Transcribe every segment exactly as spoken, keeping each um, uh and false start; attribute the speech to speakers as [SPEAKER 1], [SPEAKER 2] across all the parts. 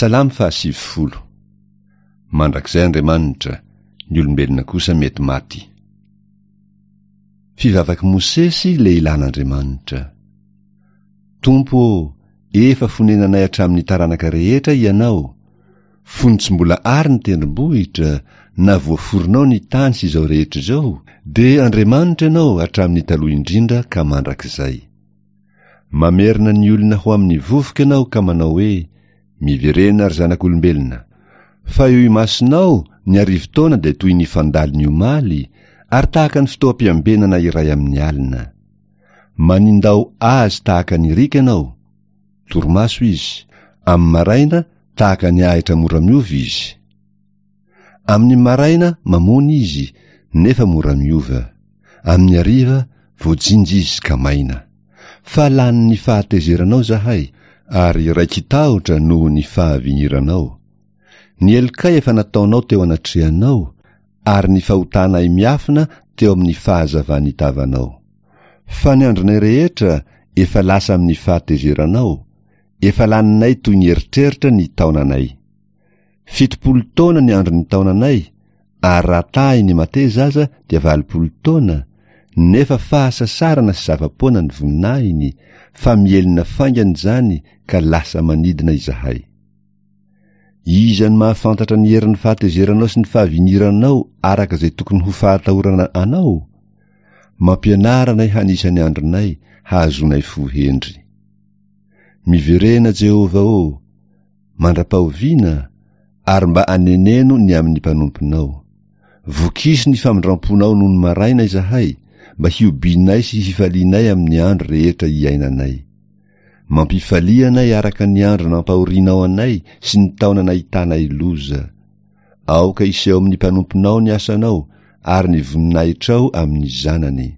[SPEAKER 1] Salamo fahasivifolo. Mandrakizay Andriamanitra, ny olombelona kosa mety maty. Fivavak'i Mosesy lehilahin'Andriamanitra. Tompo ô, efa fonenanay hatramin'ny taranaka rehetra Ianao, fony tsy mbola ary ny tendrombohitra, na voaforonao ny tany sy izao rehetra izao, dia Andriamanitra Ianao hatramin'ny taloha indrindra ka mandrakizay. Mamerina ny olona ho amin'ny vovoka Ianao ka manao hoe, Miverena ry zanak'olombelona. Fa eo imasonao ny arivo taona dia toy ny fandalo ny omaly, ary tahaka ny fotoam-piambenana iray amin'ny alina. Manindao azy tahaka ny riaka Ianao. Torimaso izy. Amin'ny maraina tahaka ny ahitra mora miova izy. Amin'ny maraina mamony izy, nefa mora miova. Amin'ny hariva voajinja izy ka maina. Fa lanin'ny fahatezeranao izahay, ary raiki-tahotra noho ny fahavigniranao. Ny helokay efa nataonao teo anatrehanao, ary ny fahotanay miafina teo amin'ny fahazavan'ny tavanao. Fa ny andronay rehetra efa lasa amin'ny fahatezeranao, efa laninay toy ny eritreritra ny taonanay. Fitopolo taona ny andron'ny taonanay, ary raha tahiny mateza aza dia valopolo taona, nefa fahasasarana sy zava-poana ny voninahiny, fa mihelina faingana izany ka lasa manidina izahay. Iza no mahafantatra ny herin'ny fahatezeranao sy ny fahavigniranao araka izay tokony ho fahatahorana anao? Mampianara anay hanisa ny andronay, hahazoanay fo hendry. Miverena Jehovah ô, mandra-pahoviana, ary mba aneneno ny amin'ny mpanomponao. Vokiso ny famindram-ponao nony maraina izahay, mba hiobianay sy hifalianay amin'ny andro rehetra iainanay. Mampifalia anay araka ny andro nampahorianao anay sy ny taona nahitanay loza. Aoka hiseho amin'ny mpanomponao ny asanao, ary ny voninahitrao amin'ny zanany.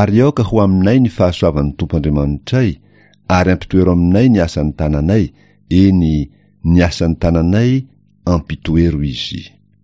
[SPEAKER 1] Ary aoka ho aminay ny fahasoavan'ny Tompo Andriamanitray, ary ampitoero aminay ny asan'ny tananay, eny, ny asan'ny tananay ampitoero izy.